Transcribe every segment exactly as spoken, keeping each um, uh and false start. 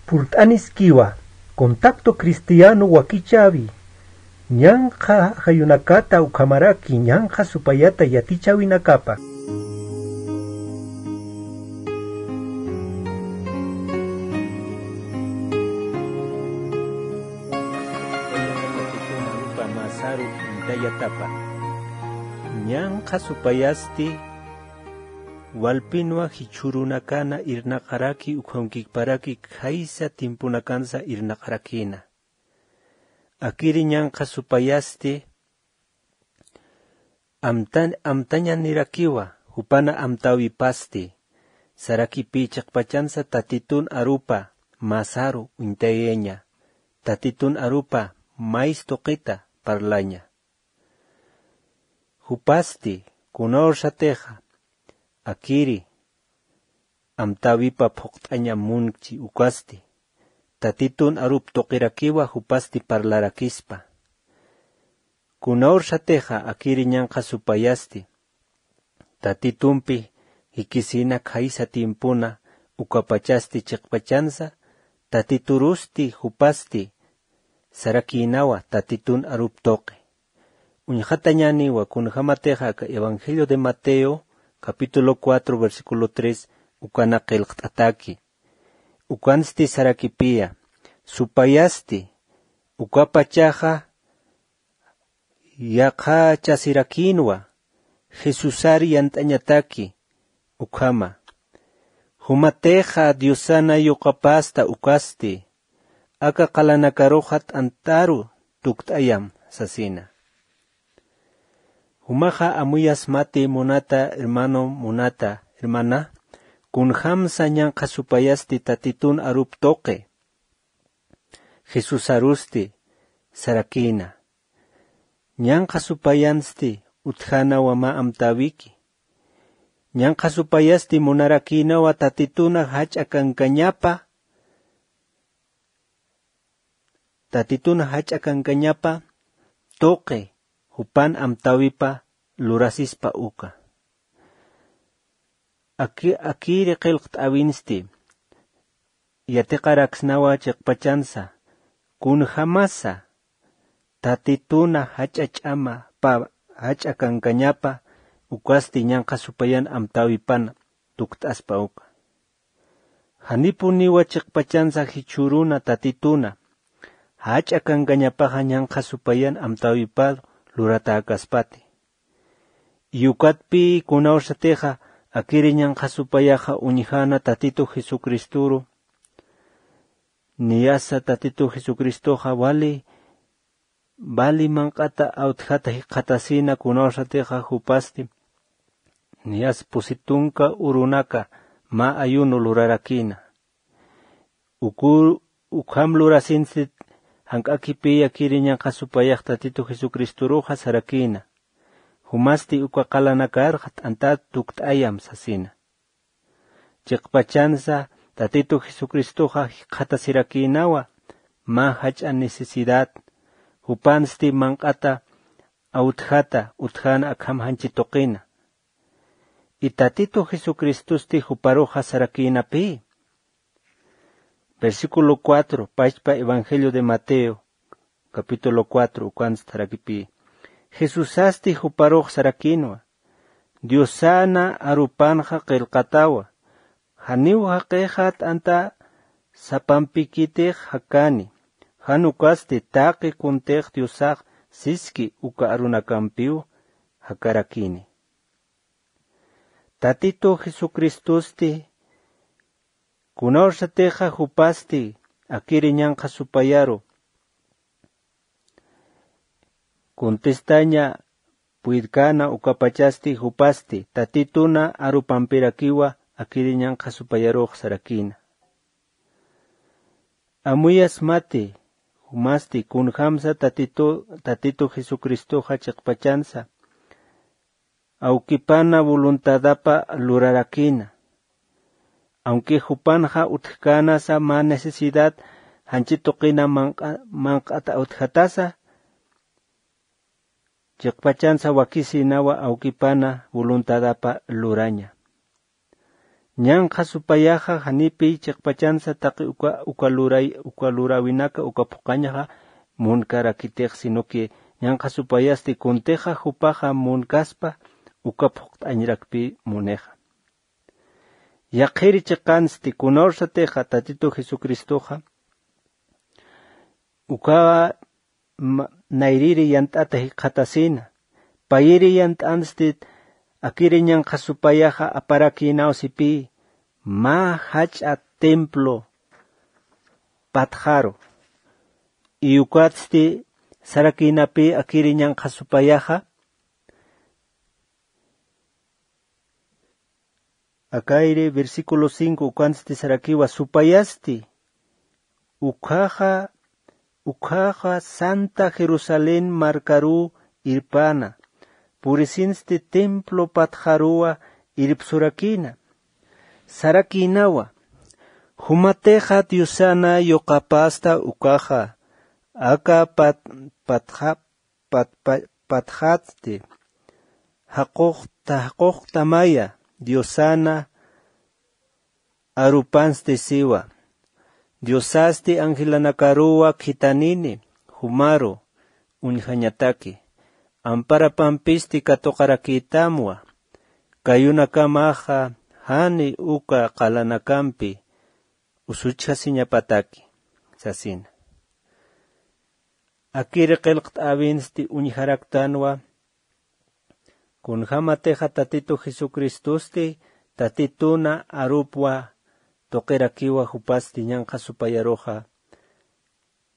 Purt'aniskiwa, contacto cristiano wakichäwi, ñanqha jayunakata ukhamaraki ñanqha supayata yatichäwinakapa. Ñanqha supayasti walpinwa jichhürunakana irnaqaraki ukhamakiparaki khaysa timpunakansa irnaqarakïna. Akiri ñanqha supayasti amtan-, amtañanirakiwa, jupana amtäwipasti, sarakipï chiqpachansa Tatitun arupa masaru uñtayaña, Tatitun arupa mays tuqita parlaña. Jupasti, kunawrxatixa, akiri, amtäwipa phuqt'aña munchi ukasti, Tatitun arup tuqirakiwa jupasti parlarakispa. Kunawrxatixa akiri ñanqha supayasti, Tatitumpi jikisina khaysa tiempona ukapachasti chiqpachansa, Tatiturusti jupasti sarakïnawa Tatitun arup tuqi. Uñxatañäniwa kunjämatixa aka Evangelio de Mateo, capítulo cuatro, versículo tres, ukana qillqt'ataki. Ukansti sarakipïya, supayasti, ukapachaxa yaqhachasirakïnwa, Jesusar yant'añataki, ukhama. Jumatixa Diosana yuqapasta ukasti, aka qalanakaruxa t'antaru tukt'ayam sasina. Jumaxa amuyasmati munata hermano, munata hermana, kunjamsa ñanqha supayasti Tatitun arup tuqi. Jesusarusti sarakïna. Ñanqha supayansti utjänawa mä amtäwiki. Ñanqha supayasti munarakïnawa Tatituna jach'a kankañapa, Tatituna jach'a kankañapa tuqi jupan amtäwipa lurasispa uka. Aki-, akiri qillqt'äwinsti yatiqaraksnawa chiqpachansa, kunjamasa Tatituna jach'a ch'ama pa jach'a kankañapa ukasti ñanqha supayan amtäwipan tukt'aspa uka. Janipuniwa chiqpachansa jichhüruna Tatituna jach'a kankañapaxa ñanqha supayan amtäwipar luratäkaspati. Y ukatpï kunawsatixa akiri ñanqha supayaxa uñjäna Tatitu Jesucristoru, niyasa Tatitu Jesucristoxa wali, wali manq'ata awtjata jikxatasina kunawsatixa jupasti, niyas pusi tunka urunaka mä ayuno lurarakïna. Uku, ukham lurasinsti jank'akipï akiri ñanqha supayax Tatitu Jesucristoruxa sarakïna. Jumasti uka qalanakarxa t'antat tukt'ayam sasina. Chiqpachansa Tatitu Jesucristoxa jikxatasirakïnawa mä jach'a necesidad, jupansti manq'ata awtjata utjäna akham janchi tuqina. Y Tatitu Jesucristosti juparuxa sarakïnapï. Versículo cuatro, pachpa Evangelio de Mateo, capítulo cuatro, ukansti sarakipï. Jesusasti juparux sarakïnwa, Diosana arupanxa qillqatawa, janiw jaqixa t'anta sapampikitix jakani, jan ukasti taqi kuntix Diosax siski uka arunakampiw jakarakini. Tatitu Jesucristosti, kunawsatixa jupasti, akiri ñanqha supayaru, contestaña puydkana ukapachasti jupasti, Tatituna arupampirakiwa, akiri ñanqha supayarux sarakïna. Amuyasmati, jumasti, kunjamsa Tatitu, Tatitu Jesucristoxa chiqpachansa, awkipana voluntadapa lurarakïna. Aunque jupanxa utjkänasa mä necesidad janchi tuqina manq'a-, manq'at awtjatasa, chiqpachansa wakisïnawa awkipana voluntadapa luraña. Ñanqha supayaxa janipi chiqpachansa taqi uka uka luray uka lurawinaka uka phuqañaxa munkarakitix, sino que ñanqha supayasti kuntixa jupaxa munkaspa uka phuqt'añrakpi munixa. Yaqhiri chiqansti kunawrsatixa tatitu jesucristoxa uka nayriri yant'ata jikxatasina. Payiri yant'anstit akiri ñanqha supayaxa aparakïnawsipï mä jach'a templo patxaru. Iyukatsti sarakïnapï akiri ñanqha supayaxa. Akayri versículo cinco ukansti sarakiwa supayasti ukhaxa ukhaxa santa jerusalén markaru irpana purisinsti templo patxaruwa irpsurakina. Sarakinawa jumatixa diosana yuqapasta ukaxa aka pat patxa pat patxatsti jaqux jaqux tamaya diosana arupansti siwa. Diosasti angelanakaruwa khitanini jumaru uñjañataki amparapampisti katuqarakïtamwa. Kayunakamaxa jani uka qalanakampi usuchjasiñapataki sasina. Akiri qillqt'äwinsti uñjaraktanwa kunjämatixa tatitu jesucristosti tatituna arupwa tuqirakiwa jupasti ñanqha supayaruxa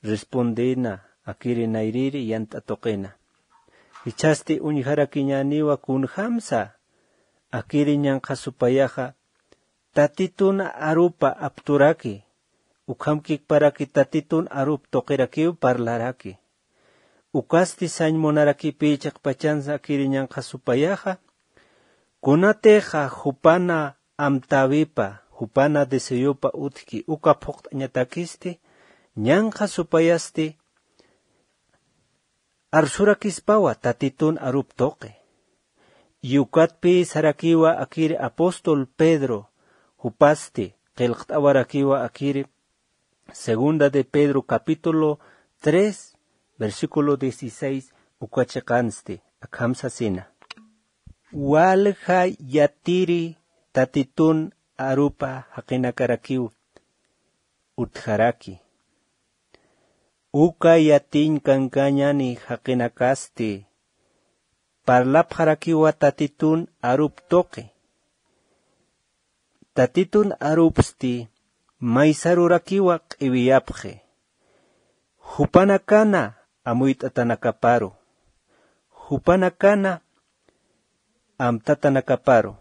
respondena akiri nayriri yant'a tuqina. Jichhasti uñjarakiñäniwa kunjämsa akiri ñanqha supayaxa tatitun arupa apturaki ukham kikparaki tatitun arup tuqirakiw parlaraki. Ukasti sañ munarakipï chiqpachansa akiri ñanqha supayaxa kunatixa jupana amtäwipa jupana deseopa utjki uka phuqt'añatakisti ñanqha supayasti arsurakispawa tatitun arup tuqi. Yukatpï sarakiwa akiri apóstol pedro jupasti qillqt'awarakiwa akiri segunda de pedro capítulo tres versículo dieciséis uka chiqansti akham sasina. Walja yatiri tatitun arupa jaqinakarakiw utjaraki. Uka yatiñ kankañani jaqinakasti parlapxarakiwa tatitun arup tuqi. Tatitun arupsti maysarurakiwa q'iwiyapxi jupanakana amuyt'atanakaparu jupanakana amtatanakaparu.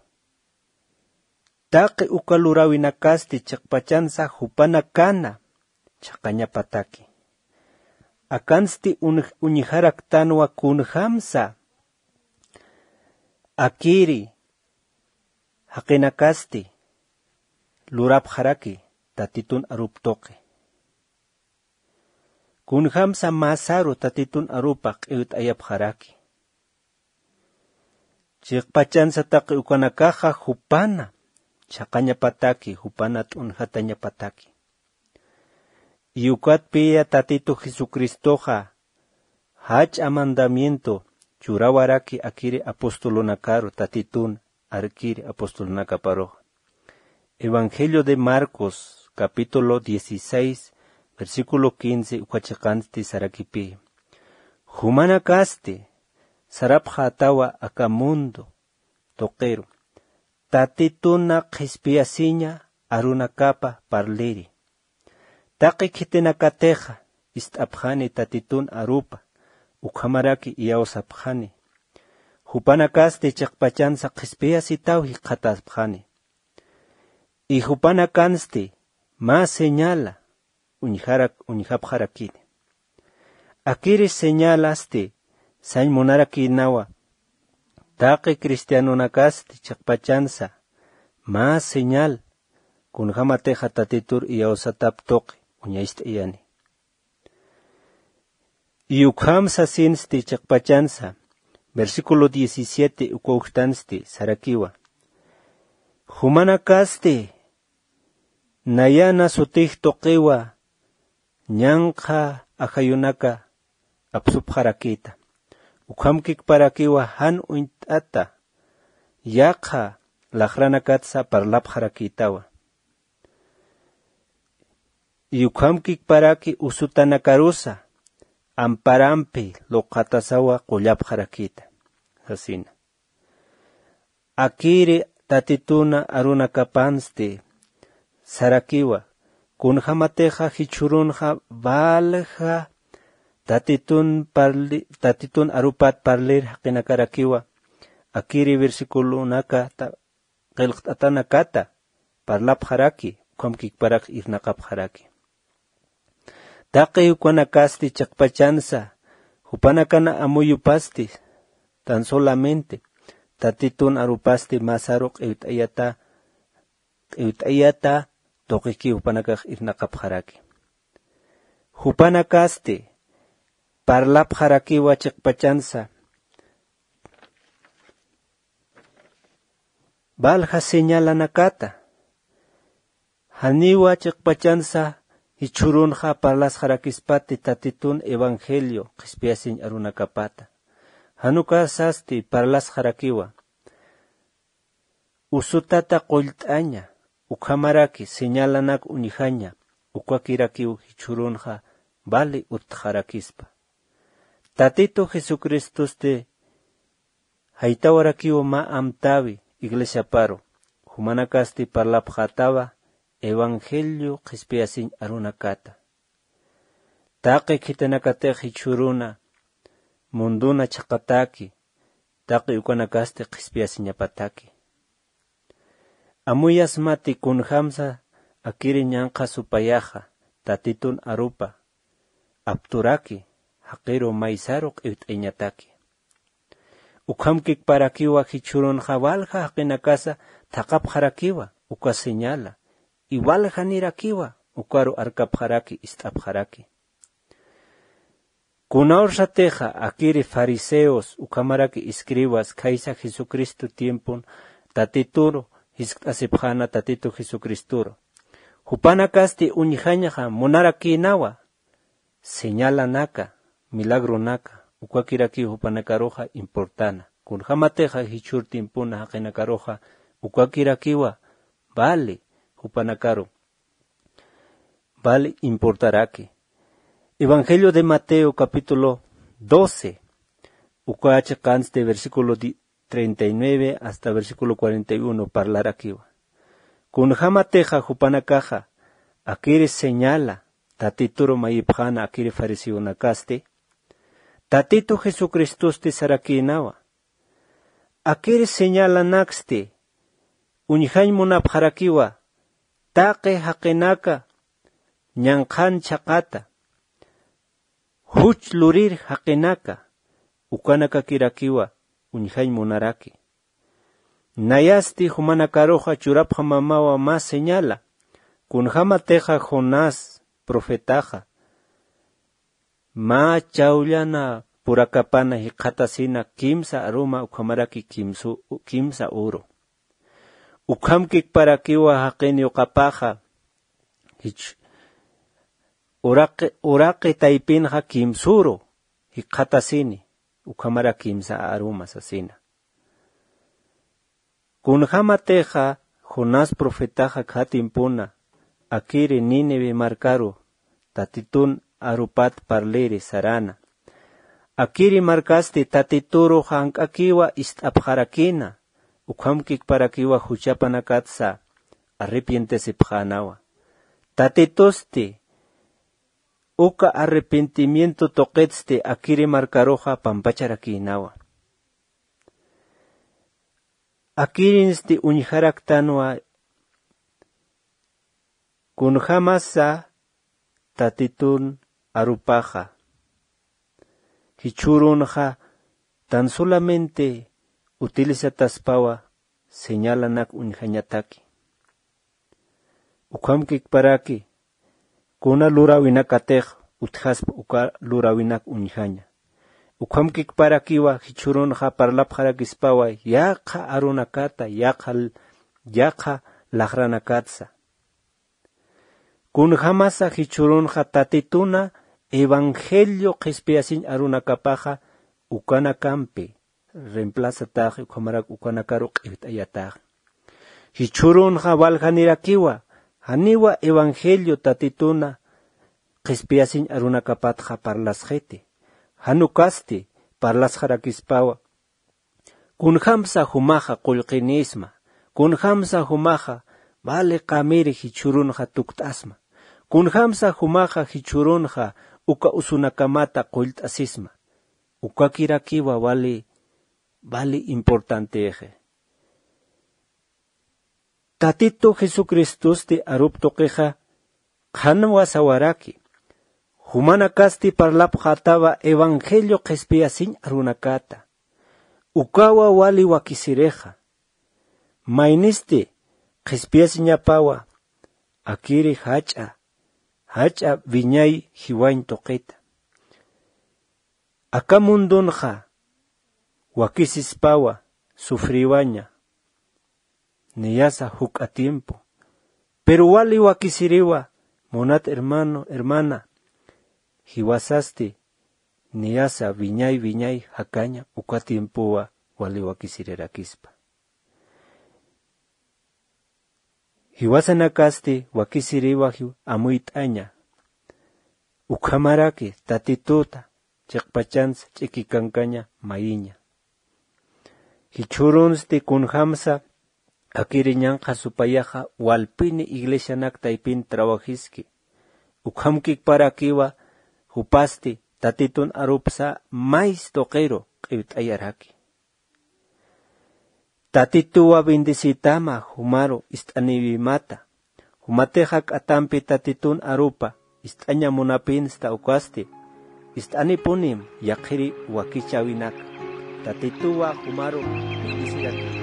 Taqi uka luräwinakasti chiqpachansa jupanakana chhaqañapataki. Akansti uñjaraktanwa kunjämsa akiri jaqinakasti lurapxaraki tatitun arup tuqi. Kunjämsa mäsaru tatitun arupa q'iwt'ayapxaraki. Chiqpachansa taqi ukanakaxa jupana chhaqañapataki jupana t'unjatañapataki. Yukatpiya tatitu jesucristoxa jach'a mandamiento churawaraki akiri apostolonakaru tatitun arkiri apostolonakaparuxa. Evangelio de marcos capítulo dieciséis versículo quince uka chiqansti sarakipï jumanakasti sarapxätawa aka mundo tuqiru tatituna qhispiyasiña arunakapa parliri. Taqi khitinakatixa ist'apxani tatitun arupa ukhamaraki iyawsapxani. Jupanakasti chiqpachansa qhispiyasitaw jikxatapxani. Y jupanakansti mä señala uñjarak uñjapxarakini. Akiri señalasti sañ munarakïnawa taqi cristianonakasti chiqpachansa mä señal kunjämatixa tatitur iyawsatap tuqi uñacht'ayani. Y ukham sasinsti chiqpachansa versículo diecisiete uka ujtansti sarakiwa. Jumanakasti nayana sutix tuqiwa ñanqha ajayunaka apsupxarakïta. Ukhamkikparakiwa jan uñt'ata yaqha laqranakatsa parlapxarakïtawa. Y ukhamkikparaki usutanakarusa amparampi luqatasawa qullapxarakïta sasina. Akiri Tatituna arunakapansti sarakiwa, kunjämatixa jichhürunxa valja Tatitun parli-, Tatitun arupat parlir jaqinakarakiwa, akiri versiculonakata qillqt'atanakata parlapxaraki, ukhamkikparak irnaqapxaraki. Taqi ukanakasti chiqpachansa, jupanakana amuyupasti, tan solamente Tatitun arupasti masaru q'iwt'ayata, q'iwt'ayata tuqiki jupanakax irnaqapxaraki. Jupanakasti parlapxarakiwa chiqpachansa, valja señalanakata. Janiwa chiqpachansa jichhürunxa parlasxarakispati Tatitun evangelio qhispiyasiñ arunakapata. Jan ukasasti parlasxarakiwa. Usutata qullt'aña, ukhamaraki señalanak uñjaña, ukakirakiw jichhürunxa vali utjarakispa. Tatitu Jesucristosti jaytawarakiw mä amtäwi iglesiaparu, jumanakasti parlapxätawa evangelio qhispiyasiñ arunakata. Taqi khitinakatix jichhüruna munduna chhaqataki, taqi ukanakasti qhispiyasiñapataki. Amuyasmati kunjämsa akiri ñanqha supayaxa Tatitun arupa apturaki, jaqiru maysaru q'iwt'añataki. Ukhamkikparakiwa jichhürunxa valja jaqinakasa thaqhapxarakiwa uka señala, y valjanirakiwa ukaru arkapxaraki, ist'apxaraki. Kunawrsatixa akiri fariseos ukhamaraki escribas khaysa Jesucristo tiempon Tatituru jiskt'asipxäna Tatitu Jesucristoru. Jupanakasti uñjañxa munarakïnawa señalanaka, milagronaka, ukakirakiw jupanakaruxa importana. Kunjämatixa jichhür tiempona jaqinakaruxa ukakirakiwa vali jupanakaru vali importaraki. Evangelio de Mateo capítulo doce, uka chiqansti versículo di-, treinta y nueve hasta versículo cuarenta y uno parlarakiwa. Kunjämatixa jupanakaxa akiri señala Tatituru mayipxäna akiri fariseonakasti, Tatitu Jesucristosti sarakïnawa, akiri señalanaksti uñjañ munapxarakiwa taqi jaqinaka ñanqhan chhaqata, juch lurir jaqinaka, ukanakakirakiwa uñjañ munaraki. Nayasti jumanakaruxa churapxamawa mä señala, kunjämatixa Jonás profetaxa mä chawllana purakapana jikxatasina kimsa aruma ukhamaraki kimsu-, kimsa uru. Ukhamkikparakiwa jaqin yuqapaxa, jich-, uraqi, uraqi taypinxa kimsuru jikxatasini, ukhamara kimsa aruma sasina. Kunjämatixa Jonás profetaxa kha tiempona akiri Nínive markaru Tatitun arupat parliri sarana. Akiri markasti Tatituru jank'akiwa ist'apxarakïna, ukhamkikparakiwa juchapanakatsa arrepientesipxänawa. Tatitusti uka arrepentimiento tuqitsti akiri markaruxa pampacharakïnawa. Akirinsti uñjaraktanwa kunjämasa Tatitun arupaxa, jichhürunxa tan solamente utilizataspawa señalanak uñjañataki. Ukhamkikparaki kuna luräwinakatix utjaspa uka luräwinak uñjaña. Ukhamkikparakiwa jichhürunxa parlapxarakispawa yaqha arunakata, yaqha l-, yaqha laxranakatsa. Kunjamasa jichhürunxa Tatituna evangelio qhispiyasiñ arunakapaxa ukanakampi reemplazataxi, ukhamarak ukanakaru q'iwt'ayataxi. Jichhürunxa waljanirakiwa, janiwa evangelio Tatituna qhispiyasiñ arunakapatxa parlasxiti. Jan ukasti parlasxarakispawa. Kunjamsa jumaxa qullqinisma, kunjamsa jumaxa vale qamiri jichhürunxa tukt'asma, kunjamsa jumaxa jichhürunxa uka usunakamata qullt'asisma. Ukakirakiwa vale, vale importantexi. Tatitu Jesucristosti arup tuqixa qhanwa sawaraki. Jumanakasti parlapxätawa evangelio qhispiyasiñ arunakata. Ukawa wali wakisirixa. Maynisti qhispiyasiñapawa akiri jach'a, jach'a wiñay jiwañ tuqita. Aka mundunxa wakisispawa sufriwaña. Niyasa juk'a tiempo. Pero wali wakisiriwa, munat hermano, hermana, jiwasasti niyasa wiñay, wiñay jakaña uka tiempowa wali wakisirirakispa. Jiwasanakasti wakisiriwa jiw amuyt'aña. Ukhamaraki Tatituta chiqpachansa ch'ikikankaña mayiña. Jichhürunsti kunjamsa akiri ñanqha supayaxa walpini iglesianak taypin trawajiski. Ukhamkikparakiwa jupasti Tatitun arupsa mays tuqiru q'iwt'ayaraki. Tatituwa bendecitama jumaru ist'aniwimata. Jumatixa k'atampi Tatitun arupa ist'aña munapinsta ukasti. Ist'anipunim yaqhiri wakichäwinaka. Tatituwa jumaru bendeciraki.